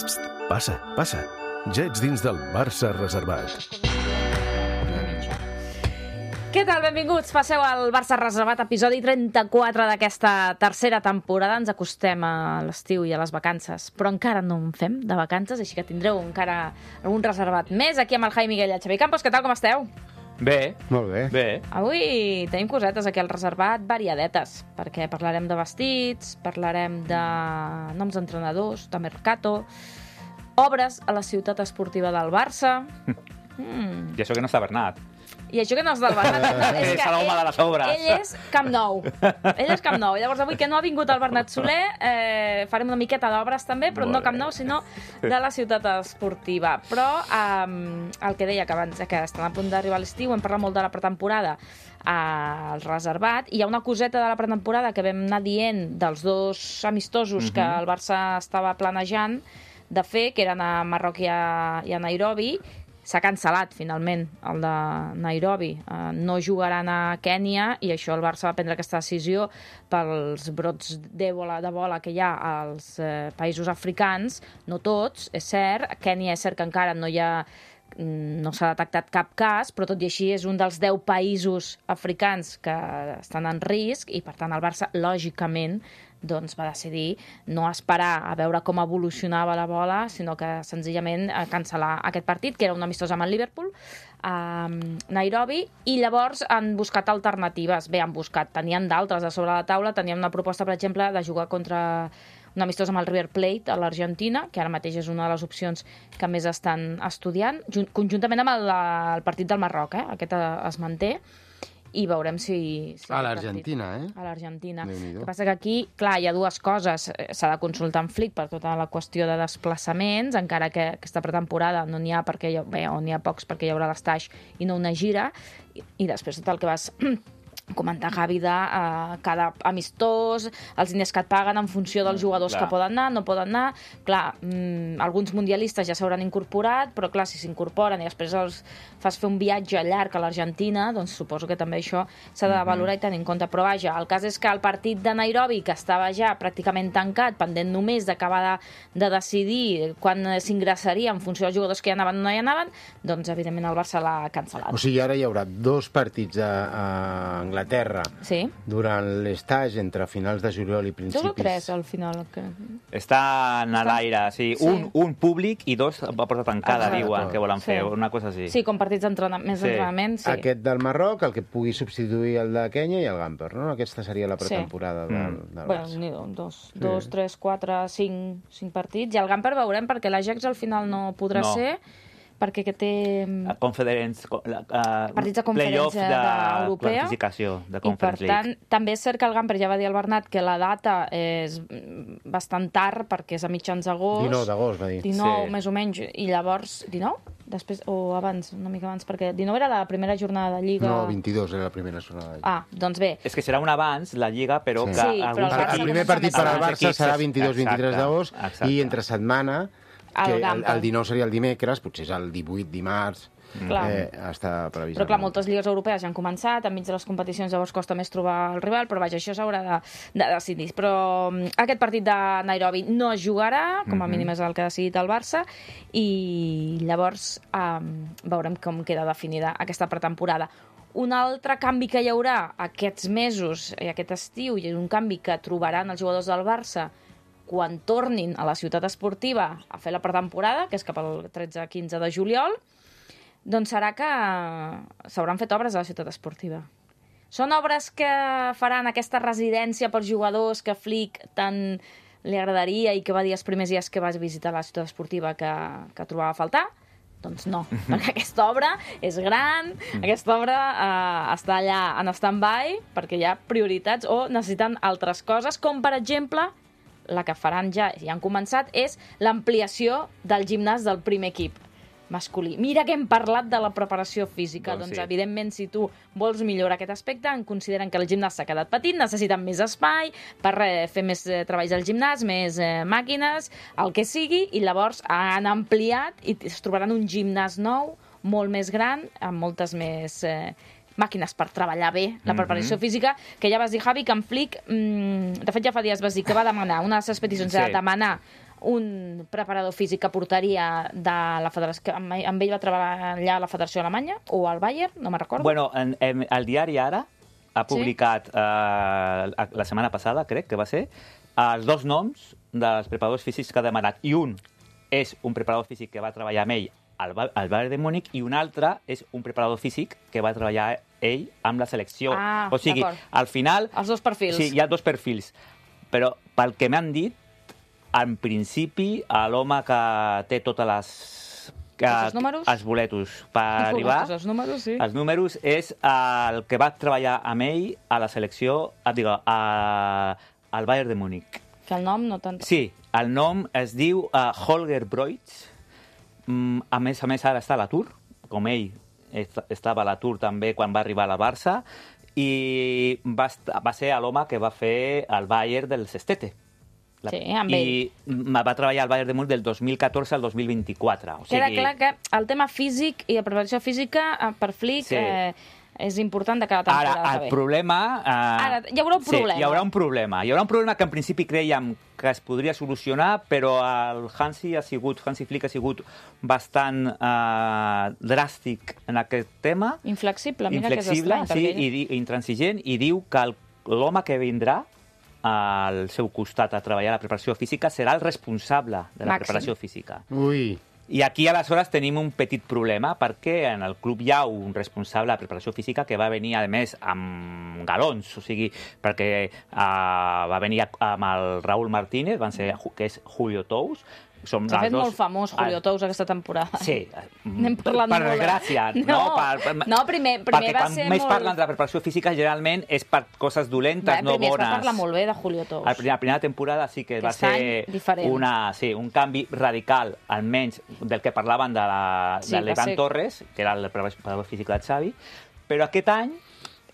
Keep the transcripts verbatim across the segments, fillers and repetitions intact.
Passa, passa. Ja ets dins del Barça reservat. Què tal? Benvinguts. Passeu al Barça reservat, episodi trenta-quatre d'aquesta tercera temporada. Ens acostem a l'estiu i a les vacances, però encara no en fem de vacances, així que tindreu encara algun reservat més aquí amb el Jaime Miguel i el Xavi Campos. Què tal, com esteu? Bé. Molt bé. Bé. Avui tenim cosetes aquí al reservat variadetes, perquè parlarem de vestits, parlarem de noms d'entrenadors, de mercato, obres a la ciutat esportiva del Barça. Mm. I això que no està Bernat. I això que no és del Bernat. És que l'home de les obres. Ell és Camp Nou. Ell és Camp Nou. Llavors, avui que no ha vingut el Bernat Soler, eh, farem una miqueta d'obres també, però Molt no Camp bé. Nou, sinó de la ciutat esportiva. Però eh, el que deia que abans, que estan a punt d'arribar a l'estiu, hem parlat molt de la pretemporada al reservat, i hi ha una coseta de la pretemporada que vam anar dient dels dos amistosos uh-huh. que el Barça estava planejant de fer, que eren a Marroc i a, i a Nairobi. S'ha cancel·lat, finalment, el de Nairobi. Uh, no jugaran a Kènia, i això el Barça va prendre aquesta decisió pels brots d'Ebola, de bola que hi ha als eh, països africans. No tots, és cert. A Kènia és cert que encara no hi ha no s'ha detectat cap cas, però tot i així és un dels deu països africans que estan en risc, i per tant el Barça, lògicament, doncs va decidir no esperar a veure com evolucionava la bola, sinó que senzillament cancel·lar aquest partit, que era un amistós amb el Liverpool, a Nairobi, i llavors han buscat alternatives. Bé, han buscat, tenien d'altres a sobre la taula, tenien una proposta, per exemple, de jugar contra un amistós amb el River Plate a l'Argentina, que ara mateix és una de les opcions que més estan estudiant, conjuntament amb el, el partit del Marroc, eh? Aquest es manté, i veurem si... si a l'Argentina, eh? A l'Argentina. El que passa que aquí, clar, hi ha dues coses. S'ha de consultar amb Flick per tota la qüestió de desplaçaments, encara que aquesta pretemporada no n'hi ha, perquè hi ha, bé, o n'hi ha pocs perquè hi haurà l'estaix i no una gira, i, i després tot el que vas comentar, Javi, de uh, cada amistós, els diners que et paguen en funció dels jugadors clar. que poden anar, no poden anar. Clar, mm, alguns mundialistes ja s'hauran incorporat, però clar, si s'incorporen i després els fas fer un viatge llarg a l'Argentina, doncs suposo que també això s'ha de valorar i tenir en compte. Però vaja, el cas és que el partit de Nairobi, que estava ja pràcticament tancat, pendent només d'acabar de, de decidir quan s'ingressaria en funció dels jugadors que hi anaven o no hi anaven, doncs evidentment el Barça l'ha cancel·lat. O sigui, ara hi haurà dos partits a, a Anglaterra sí. durant l'estage entre finals de juliol i principis... Dos o tres, al final. Que... Estan a l'aire, sí. sí. Un, un públic i dos a porta tancada, Exacte. diuen que volen fer, sí. una cosa així. Sí, com partits d'entrenament, més Sí. d'entrenament, sí. Aquest del Marroc, el que pugui substituir el de Kènia, i el Gamper, no? Aquesta seria la pretemporada Sí. del, Mm. del Bueno, Barça. n'hi do, dos, Sí. dos, tres, quatre, cinc, cinc partits. I el Gamper veurem, perquè l'Ajax al final no podrà No. ser, perquè que té A Conference, uh, partits de playoff conferència de europea. classificació de I per Conference tant, League. també és cert que el Gamper ja va dir al Bernat que la data és bastant tard, perquè és a mitjans d'agost. dinou d'agost, va dir. dinou, Sí. més o menys. I llavors, dinou? Després, o abans, una mica abans, perquè dinou era la primera jornada de Lliga. No, vint-i-dos era la primera jornada. Ah, doncs bé. És que serà un abans, la Lliga, però Sí. que Sí, però alguns el Barça El equips... primer partit per al alguns Barça equips serà és- vint-i-dos vint-i-tres d'agost, exacte. i entre setmana, El que el, Gamper. el dinou seria el dimecres, potser és el divuit dimarts, Clar. eh, està previst. Però clar, moltes lligues europees ja han començat, enmig de les competicions llavors costa més trobar el rival, però vaja, això s'haurà de, de decidir. Però um, aquest partit de Nairobi no es jugarà, com a mínim és el que ha decidit el Barça, i llavors um, veurem com queda definida aquesta pretemporada. Un altre canvi que hi haurà aquests mesos i aquest estiu, i un canvi que trobaran els jugadors del Barça quan tornin a la ciutat esportiva a fer la pretemporada, que és cap al tretze quinze de juliol, doncs serà que s'hauran fet obres a la ciutat esportiva. Són obres que faran aquesta residència pels jugadors que Flick tant li agradaria i que va dir els primers dies que vas visitar la ciutat esportiva que, que trobava a faltar? Doncs no, perquè aquesta obra és gran, aquesta obra eh, està allà en stand-by perquè hi ha prioritats o necessiten altres coses, com per exemple la que faran ja, i han començat, és l'ampliació del gimnàs del primer equip masculí. Mira que hem parlat de la preparació física. Doncs doncs, sí. evidentment, si tu vols millorar aquest aspecte, en consideren que el gimnàs s'ha quedat petit, necessiten més espai per eh, fer més eh, treballs al gimnàs, més eh, màquines, el que sigui, i llavors han ampliat i es trobaran un gimnàs nou, molt més gran, amb moltes més eh, màquines per treballar bé la preparació mm-hmm. física, que ja vas dir, Javi, que en Flick, mmm, de fet ja fa dies vas dir que va demanar, una de les peticions Sí. era demanar un preparador físic que portaria de la federació, que amb amb ell va treballar allà a la Federació Alemanya o al Bayern, no me'n recordo. Bueno, en, en, el diari Ara ha publicat sí? eh, la setmana passada, crec que va ser, els dos noms dels preparadors físics que ha demanat. I un és un preparador físic que va treballar amb ell al, al Bayern de Múnich i un altre és un preparador físic que va treballar ell amb la selecció. Ah, o sigui, al final... Els dos perfils. Sí, hi ha dos perfils. Però pel que m'han dit, en principi, l'home que té totes les... Que, els números? Els boletos per arribar... Els números, sí. Els números és el que va treballar amb ell a la selecció, digue, a, al Bayern de Múnich. Que el nom no tant... Sí, el nom es diu uh, Holger Broich. Mm, a més a més, ara està a l'atur, com ell est estava a l'atur també quan va arribar a la Barça, i va, va ser l'home que va fer el Bayern del Sestete. La... Sí, amb ell. I va treballar al Bayern de Múnich del dos mil catorze al dos mil vint-i-quatre. O sigui... Queda clar que el tema físic i la preparació física per Flick sí. eh, és important de cada temporada. Ara, el problema... Eh... Ara, hi haurà un problema. Sí, hi haurà un problema. Hi haurà un problema que en principi creiem que es podria solucionar, però el Hansi ha sigut, Hansi Flick ha sigut bastant eh, dràstic en aquest tema. Inflexible, mira Inflexible, que és estrany. Sí, i, i intransigent, i diu que l'home que vindrà al seu costat a treballar a la preparació física serà el responsable de la Màxim. preparació física. Ui. I aquí, aleshores, tenim un petit problema, perquè en el club hi ha un responsable de preparació física que va venir, a més, amb galons, o sigui, perquè uh, va venir amb el Raúl Martínez, van ser, que és Julio Tous. S'ha fet dos... molt famós Julio Tous aquesta temporada. Sí. N'hem parlat per molt. desgràcia. No, no, per, no primer, primer va quan ser més molt... parlen de la preparació física, generalment és per coses dolentes, Bé, no primer bones. es va parlar molt bé de Julio Tous. A la primera temporada sí que Aquest va any, ser diferent. una, sí, un canvi radical, almenys del que parlaven de la- Sí, de va l'Ivan ser- Torres, que era el preparador físic del Xavi, però aquest any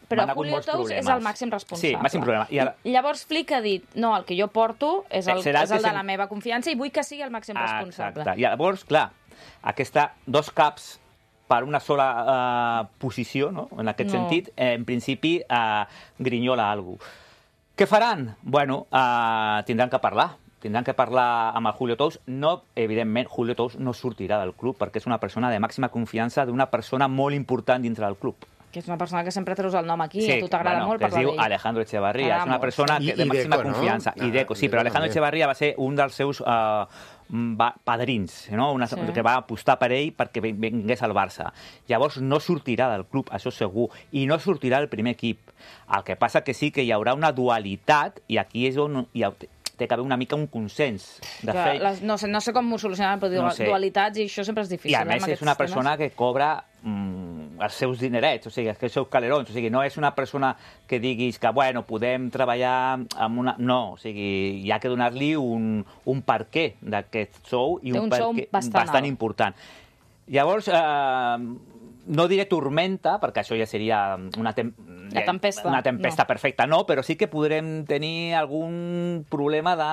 Però van hagut Julio molts Tous problemes. és el màxim responsable. Sí, màxim problema. I ara... Llavors Flick ha dit, no, el que jo porto és el, Serà el és el que de sem- la meva confiança i vull que sigui el màxim responsable. Exacte. I llavors, clar, aquesta dos caps per una sola uh, posició, no? En aquest No. sentit, eh, en principi, uh, grinyola alguna cosa. Què faran? Bueno, uh, tindran que parlar. Tindran que parlar amb el Julio Tous. No, evidentment, Julio Tous no sortirà del club perquè és una persona de màxima confiança d'una persona molt important dintre del club. Que és una persona que sempre treus el nom aquí i a tu t'agrada bueno, molt que es parlar diu d'ell. Alejandro Echevarría. T'agrada És una molt. persona I- que, de i màxima Deco, no? confiança. Ah, I Deco, sí, Deco però Alejandro també. Echevarría va ser un dels seus uh, va, padrins, no? Una, Sí. que va apostar per ell perquè ven- vingués al Barça. Llavors no sortirà del club, això segur, i no sortirà del primer equip. El que passa que sí que hi haurà una dualitat i aquí és on hi ha, té que haver una mica un consens. De Que fet, les, no, sé, no sé com ho solucionaran, però No no sé. dualitats i això sempre és difícil. I a eh, més amb és aquests una temes. persona que cobra mm, els seus dinerets, o sigui, els seus calerons, o sigui, no és una persona que diguis que, bueno, podem treballar amb una... No, o sigui, hi ha que donar-li un, un per què d'aquest sou i Té un, un per sou què bastant bastant alt. important. Llavors, eh, no diré tormenta, perquè això ja seria una, tem La tempesta, una tempesta no. perfecta, no, però sí que podrem tenir algun problema de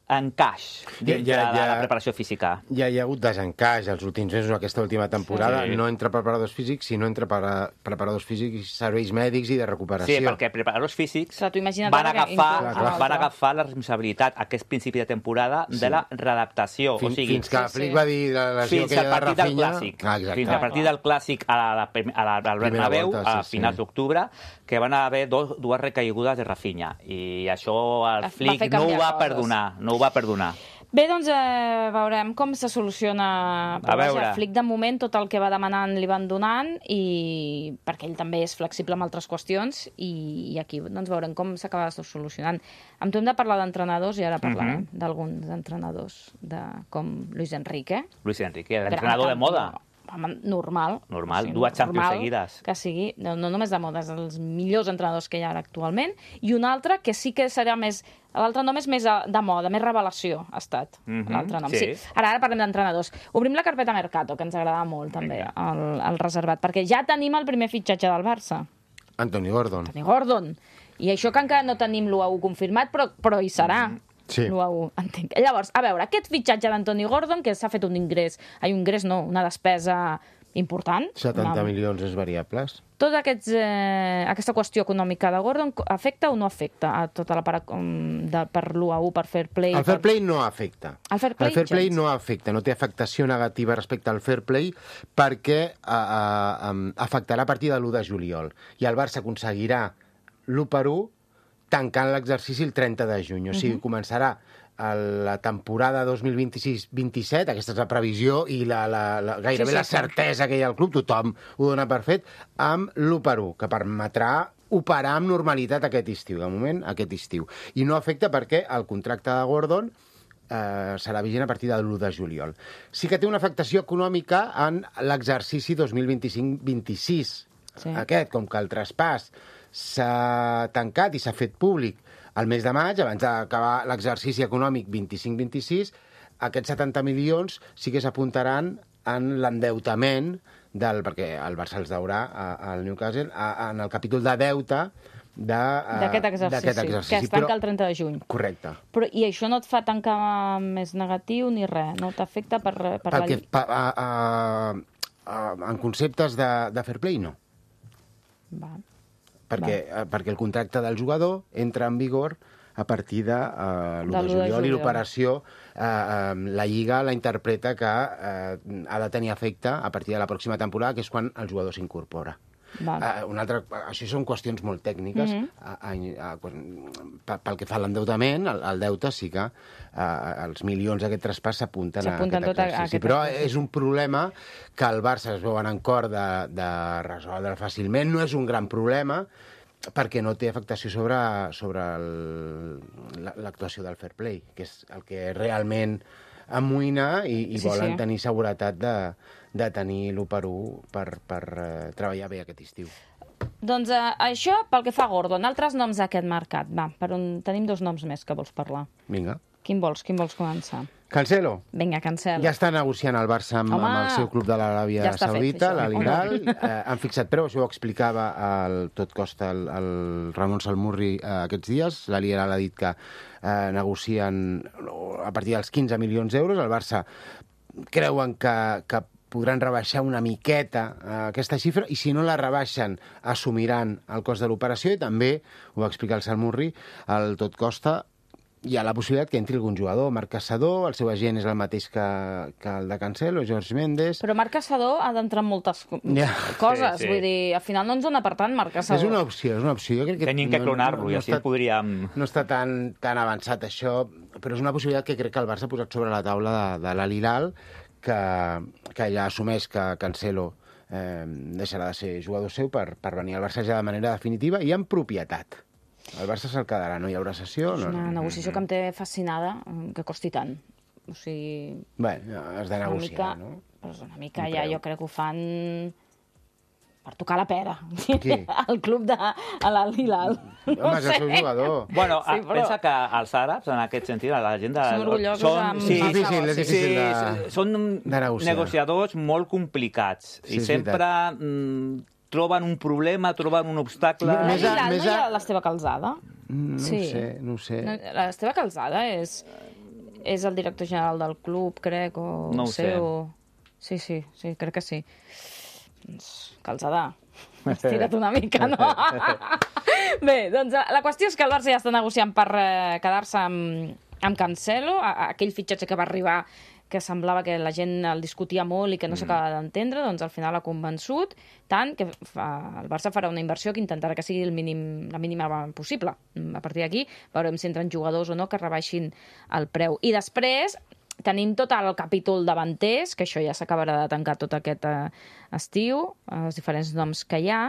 encaix dins Ja- ja- de ja- la preparació física. Ja hi ha hagut desencaix els últims mesos, aquesta última temporada, Sí. no entre preparadors físics, sinó entre para, preparadors físics, serveis mèdics i de recuperació. Sí, perquè preparadors físics Clar, tu imagina't van ara que agafar, inclús Clar, clar. van agafar la responsabilitat aquest principi de temporada de la readaptació. Fins, o sigui, fins que Sí, Flick sí. va dir la lesió fins aquella al de partit del Rafinha... Clàssic. Ah, exacte. Fins al partit del Clàssic a la, a la, al Bernabéu, volta, a sí, finals sí. d'octubre, que van haver dos, dues recaigudes de Rafinha. I això el Va Flick fer no ho canviar va coses. perdonar. No ho va perdonar. Bé, doncs eh, veurem com se soluciona. Però A vaja, veure. Flick, de moment, tot el que va demanant li van donant, i perquè ell també és flexible amb altres qüestions, i, i aquí doncs, veurem com s'acaba solucionant. Amb tu hem de parlar d'entrenadors, i ara parlarem Mhm. d'alguns entrenadors, de, com Luis Enrique. Luis Enrique, Gran l'entrenador de campió. moda. Home, normal. Normal, dues Champions normal seguides. Que sigui, no, no només de moda, és els millors entrenadors que hi ha ara actualment, i un altre que sí que serà més... L'altre nom és més de, de moda, més revelació ha estat, Mhm, l'altre nom. sí. Sí. Ara, ara parlem d'entrenadors. Obrim la carpeta Mercato, que ens agrada molt, també, el, el reservat, perquè ja tenim el primer fitxatge del Barça, Anthony Gordon. Toni Gordon. I això que encara no tenim l'U A U confirmat, però, però hi serà. Sí. L'U A U, entenc. Llavors, a veure, aquest fitxatge d'Antoni Gordon, que s'ha fet un ingrés, ai, un ingrés no, una despesa important. setanta Una- milions és variables. Tota aquests, eh, aquesta qüestió econòmica de Gordon afecta o no afecta a tota la part um, de, per l'u a u, per fair play? El fair per... play no afecta. El fair play, el fair play gens. no afecta, no té afectació negativa respecte al fair play perquè eh, eh, um, afectarà a partir de l'u de juliol. I el Barça aconseguirà l'u per u tancant l'exercici el trenta de juny. O sigui, uh -huh. començarà la temporada dos mil vint-i-sis vint-i-set, aquesta és la previsió i la, la, la, gairebé Sí, sí, la sí. certesa que hi ha al club, tothom ho dona per fet, amb l'u per u, que permetrà operar amb normalitat aquest estiu, de moment aquest estiu. I no afecta perquè el contracte de Gordon eh, serà vigent a partir de l'u de juliol. Sí que té una afectació econòmica en l'exercici dos mil vint-i-cinc vint-i-sis. Sí. Aquest, com que el traspàs s'ha tancat i s'ha fet públic el mes de maig, abans d'acabar l'exercici econòmic vint-i-cinc vint-i-sis, aquests setanta milions sí que s'apuntaran en l'endeutament del, perquè el Barça els deurà al Newcastle, a, en el capítol de deute de, d'aquest exercici, exercici, que es tanca el trenta de juny. Correcte. Però, I això no et fa tancar més negatiu ni res? No t'afecta per, per Pel la... que, pa, a, a, a, en conceptes de, de fair play, no. Va. Perquè, eh, perquè el contracte del jugador entra en vigor a partir de uh, l'u De de l'u de juliol i juliol. l'operació, eh, eh, la Lliga la interpreta que eh, ha de tenir efecte a partir de la pròxima temporada, que és quan el jugador s'incorpora. Va. Uh, una altra, això són qüestions molt tècniques. Mhm. a, a, a, a, pel que fa a l'endeutament, el, el deute sí que uh, els milions d'aquest traspàs s'apunten a S'apunten aquest tot a- a exercici. aquest Però exercici. és un problema que el Barça es veuen en cor de, de resoldre fàcilment. No és un gran problema, perquè no té afectació sobre, sobre el- la- l'actuació del fair play, que és el que realment amoïna i, i Sí, volen sí. tenir seguretat de, de tenir l'u per u per, per uh, treballar bé aquest estiu. Doncs eh, això pel que fa a Gordon. Altres noms d'aquest mercat. Va, per on tenim dos noms més que vols parlar. Vinga. Quin vols? Quin vols començar? Cancelo. Vinga, cancel. Ja està negociant el Barça amb, Home, amb el seu club de l'Aràbia ja està fet, Saudita, això. l'Al Hilal. Eh, han fixat preu, això ho explicava el, tot costa el, el Ramon Salmurri eh, aquests dies. L'Al Hilal ha dit que eh, negocien a partir dels quinze milions d'euros. El Barça creuen que, que podran rebaixar una miqueta eh, aquesta xifra, i si no la rebaixen assumiran el cost de l'operació, i també, ho va explicar el Salmurri, el tot costa hi ha la possibilitat que entri algun jugador. Marc Caçador, el seu agent és el mateix que, que el de Cancelo, George Mendes. Però Marc Caçador ha d'entrar en moltes co- Ja. coses. Sí, sí. Vull dir, al final no ens dona per tant Marc Caçador. És una opció, és una opció. Jo crec que Tenim que clonar-lo i així està, el podríem... no està tan, tan avançat això, però és una possibilitat que crec que el Barça ha posat sobre la taula de, de l'Al Hilal, que, que ja assumeix que Cancelo eh, deixarà de ser jugador seu per, per venir al Barça ja de manera definitiva i amb propietat. El Barça se'l quedarà, no hi haurà sessió. És No, una negociació que em té fascinada, eh, que costi tant. O sigui... Bé, has de una negociar, mica, no? però és una mica Un ja, preu. jo crec que ho fan per tocar la pera. Qui? El club de l'Al Hilal. No Home, és el seu jugador. Bueno, Sí, sí, però- pensa que els àrabs, en aquest sentit, la gent de... Són orgullosos amb sí, els sí, negocis. és difícil de, sí, són de negociar. negociadors molt complicats Sí, i és sempre mm, troben un problema, troben un obstacle... A Més a- l'Hilal més no hi a- ha l'Esteve Calzada? No Sí. ho sé, no ho sé. No, L'Esteve Calzada és, és el director general del club, crec, o No ho sé. O... Sí, sí, sí, crec que sí. Doncs, Calzada, has tirat una mica, no? Bé, doncs la qüestió és que el Barça ja està negociant per eh, quedar-se amb, amb Cancelo, a, a aquell fitxatge que va arribar que semblava que la gent el discutia molt i que no s'acaba d'entendre, doncs al final ha convençut tant que fa, el Barça farà una inversió que intentarà que sigui el mínim, la mínima possible. A partir d'aquí veurem si entren jugadors o no que rebaixin el preu. I després tenim tot el capítol davanters, que això ja s'acabarà de tancar tot aquest eh, estiu, els diferents noms que hi ha,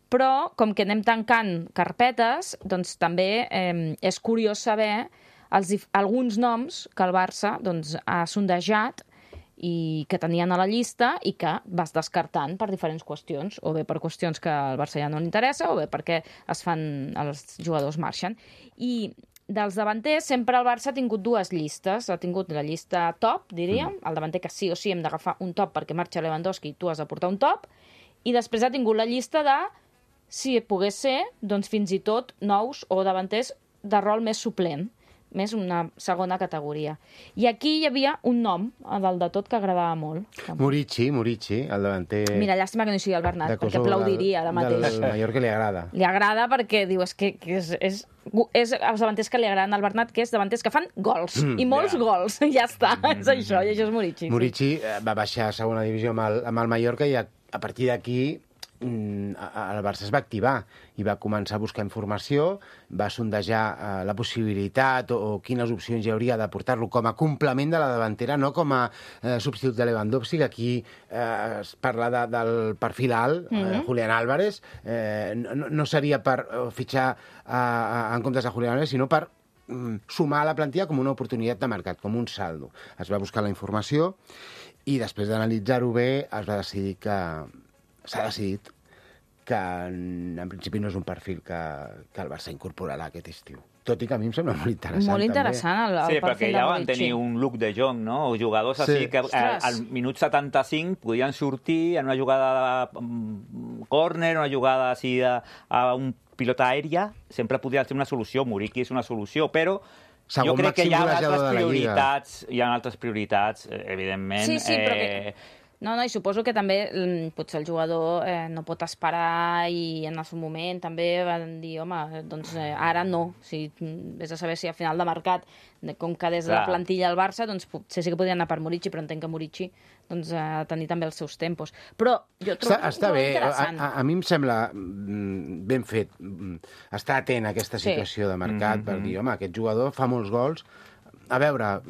però com que anem tancant carpetes, doncs també eh, és curiós saber els, dif- alguns noms que el Barça doncs, ha sondejat i que tenien a la llista i que vas descartant per diferents qüestions, o bé per qüestions que al Barça ja no li interessa, o bé perquè es fan, els jugadors marxen. I dels davanters sempre el Barça ha tingut dues llistes. Ha tingut la llista top, diríem, mm. el davanter que sí o sí hem d'agafar un top perquè marxa Lewandowski i tu has de portar un top, i després ha tingut la llista de, si pogués ser, doncs fins i tot nous o davanters de rol més suplent. més una segona categoria. I aquí hi havia un nom, a dalt de tot, que agradava molt. Murici, Murici, el davanter... Mira, llàstima que no hi sigui el Bernat, de perquè Kosovo, aplaudiria ara mateix. Del Mallorca li agrada. Li agrada perquè diu, és que, que és, és, és els davanters que li agraden al Bernat, que és davanters que fan gols, mm, i molts yeah. gols. Ja està, mm, és això, i això és Murici. Murici sí. va baixar a segona divisió amb el, amb el Mallorca i a, a partir d'aquí el Barça es va activar i va començar a buscar informació, va sondejar eh, la possibilitat o, o quines opcions hi hauria de portar-lo com a complement de la davantera, no com a eh, substitut de Lewandowski, que aquí eh, es parla de, del perfil alt, mm -hmm. eh, Julián Álvarez, eh, no, no seria per eh, fitxar a, a, en comptes de Julián Álvarez, sinó per mm, sumar a la plantilla com una oportunitat de mercat, com un saldo. Es va buscar la informació i després d'analitzar-ho bé es va decidir que s'ha decidit que en, en principi no és un perfil que, que el Barça incorporarà aquest estiu. Tot i que a mi em sembla molt interessant. Molt interessant el, el sí, perfil de Murici. Sí, perquè ja van tenir un look de Jong, no? O jugadors sí. així que al, al minut setanta-cinc podien sortir en una jugada de um, córner, una jugada així de, a un pilota aèria, sempre podria ser una solució. Murici és una solució, però segon jo crec que hi ha altres prioritats, hi ha altres prioritats, evidentment. Sí, sí, però que... No, no, i suposo que també potser el jugador eh, no pot esperar i en el seu moment també van dir, home, doncs eh, ara no. O sigui, vés a saber si a final de mercat, com que des de la plantilla del Barça, doncs potser sí que podien anar per Murici, però entenc que Murici doncs, ha de tenir també els seus tempos. Però jo trobo està, està bé. A, a, a mi em sembla ben fet estar atent a aquesta situació sí. de mercat, mm-hmm. per dir, home, aquest jugador fa molts gols. A veure,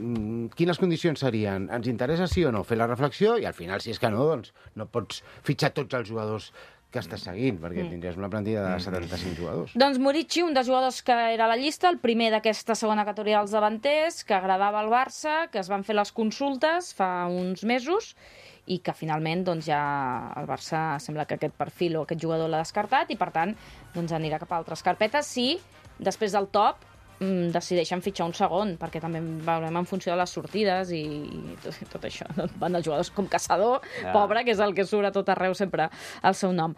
quines condicions serien? Ens interessa sí o no? Fer la reflexió i al final, si és que no, doncs no pots fitxar tots els jugadors que estàs seguint, perquè mm. tindries una plantilla de setanta-cinc jugadors. Doncs Murici, un dels jugadors que era a la llista, el primer d'aquesta segona categoria dels davanters, que agradava al Barça, que es van fer les consultes fa uns mesos i que finalment doncs, ja el Barça sembla que aquest perfil o aquest jugador l'ha descartat i, per tant, doncs, anirà cap a altres carpetes si després del top decideixen fitxar un segon, perquè també veurem en funció de les sortides i, i tot, tot això. Van els jugadors com Caçador, yeah. pobre, que és el que surt a tot arreu sempre el seu nom.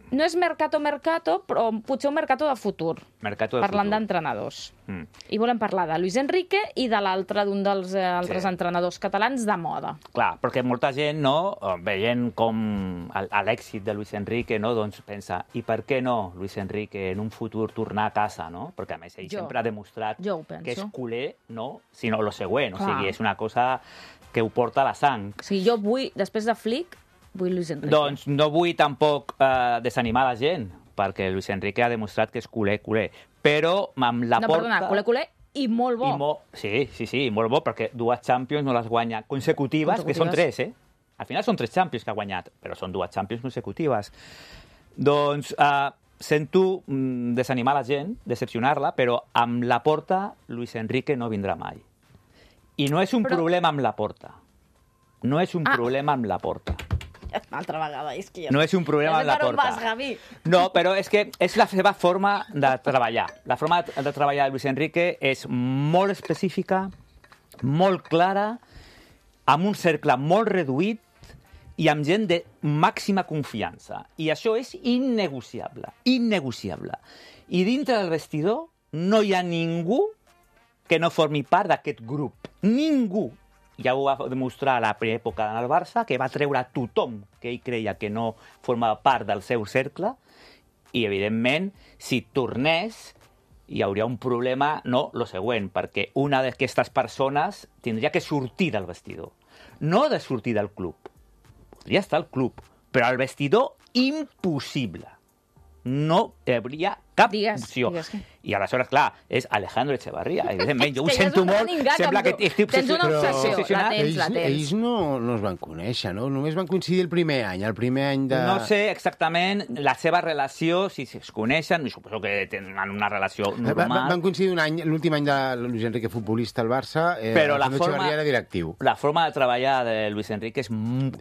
No és mercato mercato, però potser un mercato de futur. Mercato de parlant futur. d'entrenadors. Mm. I volem parlar de Luis Enrique i de l'altre d'un dels eh, altres sí. entrenadors catalans de moda. Clar, perquè molta gent, no, veient com l'èxit de Luis Enrique, no, doncs pensa, i per què no Luis Enrique en un futur tornar a casa, no? Perquè a més ell jo. sempre ha demostrat que és culer, no, sinó el següent. Clar. O sigui, és una cosa que ho porta a la sang. O sigui, jo vull, després de Flick, vull Luis Enrique. Doncs no vull tampoc eh, desanimar la gent, perquè Luis Enrique ha demostrat que és culer, culer. Però amb la no, porta... No, perdona, culer, culer i molt bo. I mo... Sí, sí, sí, molt bo, perquè dues Champions no les guanya consecutives, consecutives, que són tres, eh? Al final són tres Champions que ha guanyat, però són dues Champions consecutives. Doncs eh, sento mm, desanimar la gent, decepcionar-la, però amb la porta Luis Enrique no vindrà mai. I no és un però... problema amb la porta. No és un ah. problema amb la porta. Una altra vegada, és que jo... No és un problema amb la porta. Vas, no, però és que és la seva forma de treballar. La forma de treballar de Luis Enrique és molt específica, molt clara, amb un cercle molt reduït i amb gent de màxima confiança. I això és innegociable, innegociable. I dintre del vestidor no hi ha ningú que no formi part d'aquest grup. Ningú. Ja ho va demostrar a la primera època en el Barça, que va treure a tothom que ell creia que no formava part del seu cercle, i, evidentment, si tornés, hi hauria un problema, no, lo següent, perquè una d'aquestes persones tindria que sortir del vestidor. No de sortir del club. Podria estar al club, però al vestidor, impossible. No hi hauria cap digues, opció. Digues que... I aleshores, clar, és Alejandro Echevarría. Evidentment, jo ho sento molt. Sembla que estic tens una obsessió. La tens, ells, la tens. Ells no, no es van conèixer, no? Només van coincidir el primer any, el primer any de... No sé exactament la seva relació, si es coneixen, i suposo que tenen una relació normal. Van, van coincidir un any, l'últim any de Luis Enrique futbolista al Barça, eh, però la forma, Echevarría era directiu. La forma de treballar de Luis Enrique és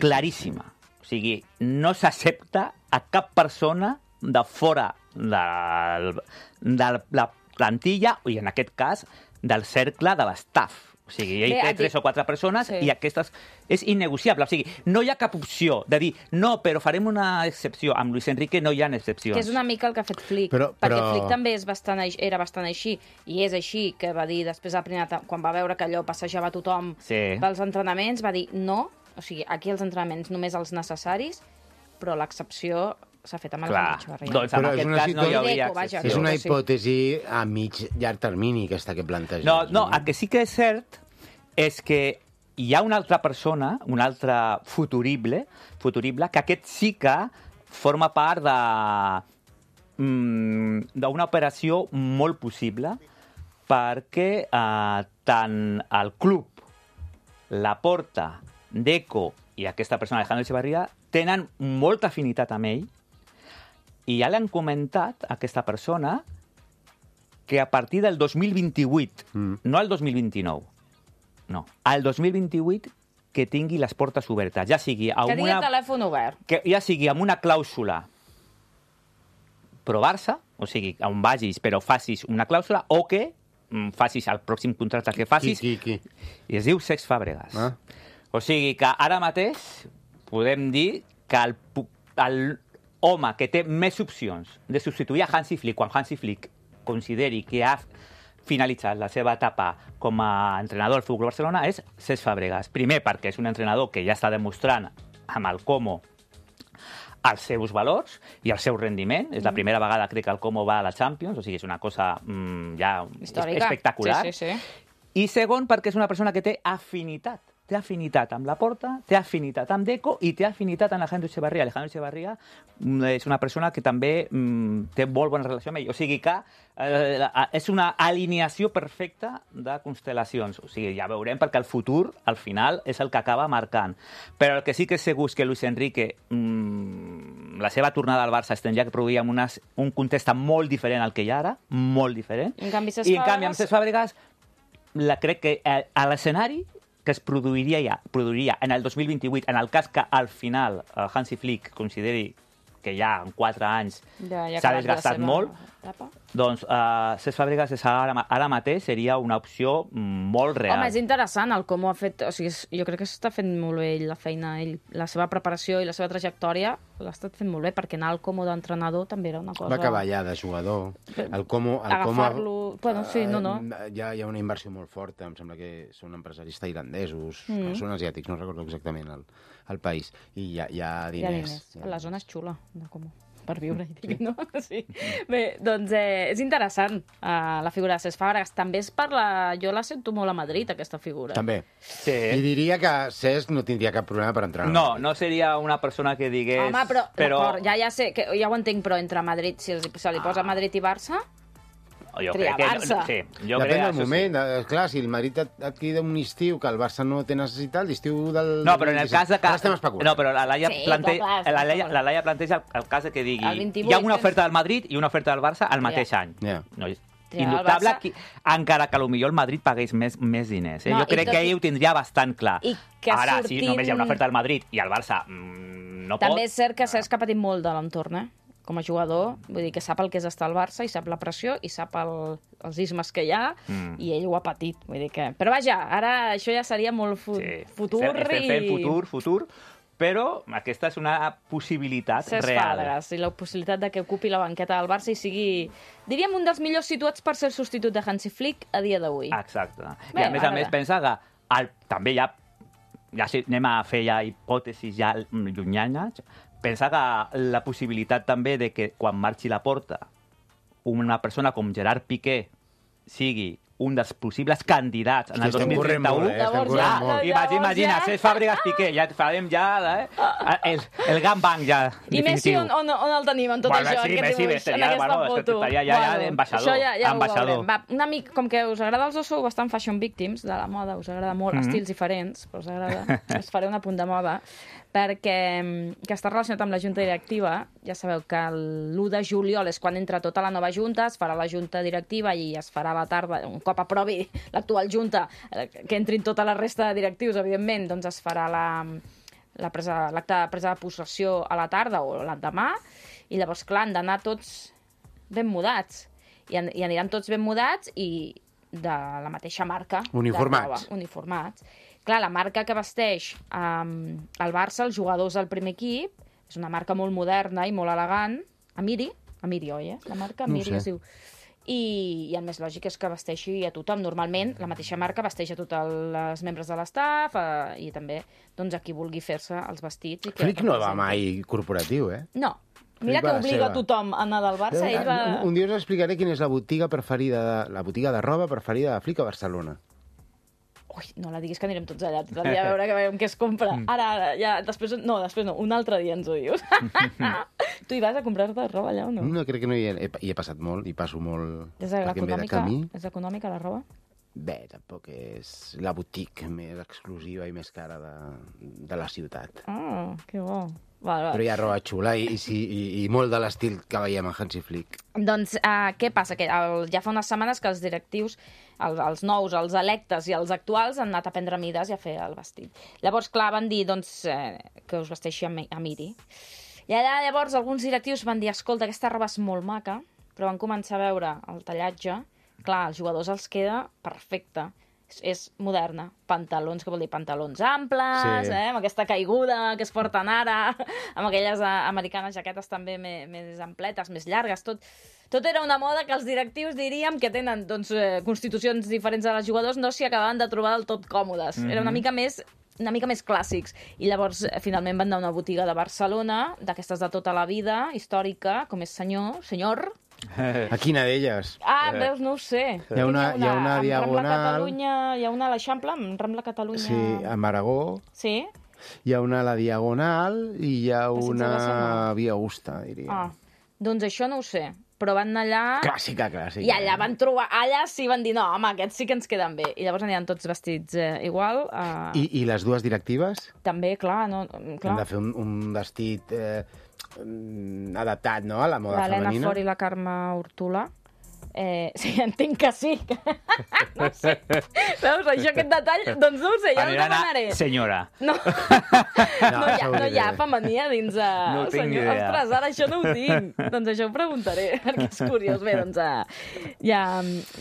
claríssima. O sigui, no s'accepta a cap persona de fora de, de la plantilla, i en aquest cas, del cercle de l'estaf. O O sigui, ell Bé, té et tres dic- o quatre persones Sí. i aquestes és innegociable. O sigui, no hi ha cap opció de dir no, però farem una excepció. Amb Luis Enrique no hi ha excepcions. Que és una mica el que ha fet Flick, Però- perquè però- Flick també és bastant, aix- era bastant així, i és així, que va dir després, a primera, ta- quan va veure que allò passejava tothom Sí. pels entrenaments, va dir no, o sigui, aquí els entrenaments només els necessaris, però l'excepció s'ha fet amb Clar, Alejandro Echevarría. doncs en Però és aquest una cas no hi situació- hauria Deco, vaja, excepció. És una Sí. hipòtesi a mig llarg termini, aquesta que planteges. No, no, el que sí que és cert és que hi ha una altra persona, un altre futurible, futurible, que aquest sí que forma part de mm, d'una operació molt possible perquè eh, tant el club, la Porta, Deco i aquesta persona, Alejandro Echevarría, tenen molta afinitat amb ell i ja li han comentat a aquesta persona que a partir del dos mil vint-i-vuit, Mm. no el dos mil vint-i-nou, no, al dos mil vint-i-vuit que tingui les portes obertes, ja sigui Que amb tingui el una, telèfon obert. que ja sigui amb una clàusula pro Barça, o sigui, on vagis però facis una clàusula, o que mm, facis el pròxim contracte que facis, Qui, qui, qui? i es diu Cesc Fàbregas. Ah. O sigui que ara mateix podem dir que el, pu- el home que té més opcions de substituir a Hansi Flick quan Hansi Flick consideri que ha finalitzat la seva etapa com a entrenador del Futbol Barcelona és Cesc Fàbregas. Primer, perquè és un entrenador que ja està demostrant amb el Como els seus valors i el seu rendiment. És la primera vegada, crec, que el Como va a la Champions, o sigui, és una cosa mm, ja Històrica. espectacular. Sí, sí, sí. I segon, perquè és una persona que té afinitat. Té afinitat amb la Porta, té afinitat amb Deco i té afinitat amb Alejandro Echevarría. Alejandro Echevarría mm, és una persona que també mm, té molt bona relació amb ell. O sigui que eh, és una alineació perfecta de constel·lacions. O sigui, ja veurem, perquè el futur, al final, és el que acaba marcant. Però el que sí que és segur és que Luis Enrique, mm, la seva tornada al Barça es tindria que produir en unes, un context molt diferent al que hi ha ara, molt diferent. I en canvi, Cesc I en canvi, amb Fàbregas- Cesc Fàbregas, la, crec que eh, a l'escenari que es produiria ja, produiria en el dos mil vint-i-vuit, en el cas que al final eh, Hansi Flick consideri que ja en quatre anys Ja, ja ha s'ha acabat la desgastat seva molt, etapa. doncs uh, Cesc Fàbregas és ara, ara mateix seria una opció molt real. Home, és interessant el com ho ha fet. O sigui, és- jo crec que s'està fent molt bé ell, la feina, ell, la seva preparació i la seva trajectòria l'ha estat fent molt bé, perquè anar al Como d'entrenador també era una cosa... Va acabar ja de jugador. El Como... El Como Agafar-lo... Bueno, sí, no, no. Eh, Hi ha, hi ha una inversió molt forta, em sembla que són empresaris tailandesos, Mm. són asiàtics, no recordo exactament el, el país, i hi ha, hi ha Hi ha diners. diners. La zona és xula, de Como, per viure, dic, no? Sí. Bé, doncs eh, és interessant uh, la figura de Cesc Fàbregas. També és per la... Jo la sento molt a Madrid, aquesta figura. També. Sí. I diria que Cesc no tindria cap problema per entrar. No, no seria una persona que digués... Home, però, però... d'acord, ja, ja sé, que, ja ho entenc, però entre Madrid, si els, se li posa Madrid i Barça, jo tria crec que... Barça. Sí, jo Depèn crec, del això moment. Sí. Clar, si el Madrid et, et crida un estiu que el Barça no té necessitat, l'estiu del... No, però en el cas de que... Ara estem especulant. No, però la Laia, Sí, plante... clar, clar, la està Laia, d'acord. la Laia planteja el, el cas de que digui El vint-i-vuit hi ha una tens- oferta del Madrid i una oferta del Barça al mateix Ja. any. Ja. No, és Triar el indubtable, Barça. que, encara que potser el Madrid pagués més, més diners. Eh? No, jo i crec tot que i- ell ho tindria bastant clar. i que Ara, si sortint- només hi ha una oferta del Madrid i el Barça mm, no també pot... és cert que Cesc ha patit molt de l'entorn, eh? Com a jugador, vull dir que sap el que és estar al Barça i sap la pressió i sap el, els ismes que hi ha Mm. i ell ho ha patit, vull dir que... Però vaja, ara això ja seria molt fu Sí, futur estem, estem fent i... futur, futur, però aquesta és una possibilitat Cesc real. Fàbregas i la possibilitat de que ocupi la banqueta del Barça i sigui, diríem, un dels millors situats per ser el substitut de Hansi Flick a dia d'avui. Exacte. Bé, I a més a ara més bé. pensa que el, també ja, ja sí, anem a fer ja hipòtesis ja llunyanes, pensa que la possibilitat també de que quan marxi la Porta una persona com Gerard Piqué sigui un dels possibles candidats en el Estem dos mil corrent trenta-u. molt, eh? Estem Llavors corrent ja- molt. Imagina, Llavors imagina, ja- Cesc Fàbregas Piqué, ja farem ja eh? el, el gangbang ja I Messi, definitiu. on, on, on el tenim en tot Bueno, això, sí, aquest Messi dibuix, estaria, en aquesta bueno, foto? estaria ja- ja d'ambaixador, Això ja, ja ambaixador. ho veurem. Va, una mica, com que us agrada els dos, sou bastant fashion victims de la moda, us agrada molt, Mhm. estils diferents, però us agrada, us faré un apunt de moda, perquè mm, que està relacionat amb la junta directiva. Ja sabeu que l'u de juliol és quan entra tota la nova junta, es farà la junta directiva i es farà a la tarda, un cop aprovi l'actual junta, eh, que entrin tota la resta de directius, evidentment, doncs es farà la, la presa- l'acte de presa de possessió a la tarda o l'endemà, i llavors, clar, han d'anar tots ben mudats. I, an i aniran tots ben mudats i de la mateixa marca. Uniformats. De roba, uniformats. Clar, la marca que vesteix um, el Barça, els jugadors del primer equip, és una marca molt moderna i molt elegant. Amiri, Amiri, oi, eh? La marca Amiri no es diu. I, I el més lògic és que vesteixi a tothom. Normalment, la mateixa marca vesteix a tots els membres de l'estaf eh, i també doncs, a qui vulgui fer-se els vestits. I que Flick no va mai corporatiu, eh? No. Mira Flick que va la obliga seva. tothom a anar del Barça. Ell va... Un, un dia us explicaré quina és la botiga preferida de, la botiga de roba preferida de Flick a Barcelona. Ui, no la diguis que anirem tots allà, tot el dia a veure que veiem què es compra. Ara, ara, ja, després... No, després no, un altre dia ens ho dius. Tu hi vas a comprar-te roba allà o no? No, crec que no hi he, he, hi he passat molt, hi passo molt És perquè em ve de econòmica, camí. és econòmica la roba? Bé, tampoc és la boutique més exclusiva i més cara de, de la ciutat. Ah, que bo. Val, val. Però hi ha roba xula i, i, sí, i, i molt de l'estil que veiem a Hansi Flick. Doncs uh, què passa? Que el, ja fa unes setmanes que els directius, el, els nous, els electes i els actuals han anat a prendre mides i a fer el vestit. Llavors, clar, van dir doncs, eh, que us vesteixi a, a Miri. I allà llavors alguns directius van dir escolta, aquesta roba és molt maca, però van començar a veure el tallatge. Clar, als jugadors els queda perfecte. És, és moderna. Pantalons, que vol dir pantalons amples, Sí. eh, amb aquesta caiguda que es porten ara, amb aquelles eh, americanes jaquetes també més, més ampletes, més llargues, tot... Tot era una moda que els directius diríem que tenen doncs, eh, constitucions diferents de les jugadors, no s'hi acabaven de trobar del tot còmodes. Mm-hmm. Era una mica més una mica més clàssics. I llavors, eh, finalment, van anar a una botiga de Barcelona, d'aquestes de tota la vida, històrica, com és senyor, senyor... A quina d'elles? Ah, veus, no ho sé. Hi ha una- hi ha una amb diagonal. Rambla Catalunya, hi ha una a l'Eixample, amb Rambla Catalunya... Sí, a Maragó. Sí? Hi ha una a la Diagonal i hi ha Passeig de una Barcelona. Via Augusta, diria. Ah, doncs això no ho sé. Però van anar allà... Clàssica, clàssica. I allà van trobar... Allà sí van dir, no, home, aquests sí que ens queden bé. I llavors aniran tots vestits eh, igual. Eh... I, I les dues directives? També, clar, no, clar. Han de fer un, un vestit eh, adaptat, no?, a la moda L'Helena femenina. Fort i la Carme Hortolà. Eh, sí, entenc que sí. No sé. Veus, això, aquest detall, doncs no ho sé, ja ho Aniran a demanaré. senyora. No, no, no, hi ha, això ho no hi ha diré. femení a dins... A... No tinc ni idea. Ostres, ara això no ho tinc. Doncs això ho preguntaré, perquè és curiós. Bé, doncs uh, ja,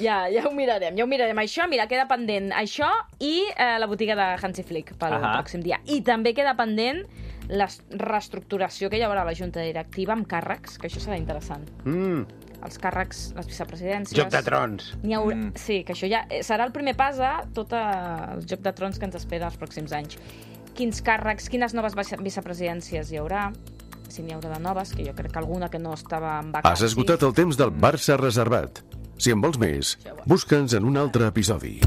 ja, ja ho mirarem, ja ho mirarem. Això, mira, queda pendent això i uh, la botiga de Hansi Flick pel Ahà. pròxim dia. I també queda pendent la reestructuració que hi haurà a la Junta Directiva amb càrrecs, que això serà interessant. Mm, Els càrrecs, les vicepresidències... Joc de Trons. N'hi haurà... Mm. Sí, que això ja eh, serà el primer pas a tot eh, el Joc de Trons que ens espera els pròxims anys. Quins càrrecs, quines noves vice- vicepresidències hi haurà, si n'hi haurà de noves, que jo crec que alguna que no estava en vacances. Has esgotat el temps del Barça reservat. Si en vols més, busca'ns en un altre episodi.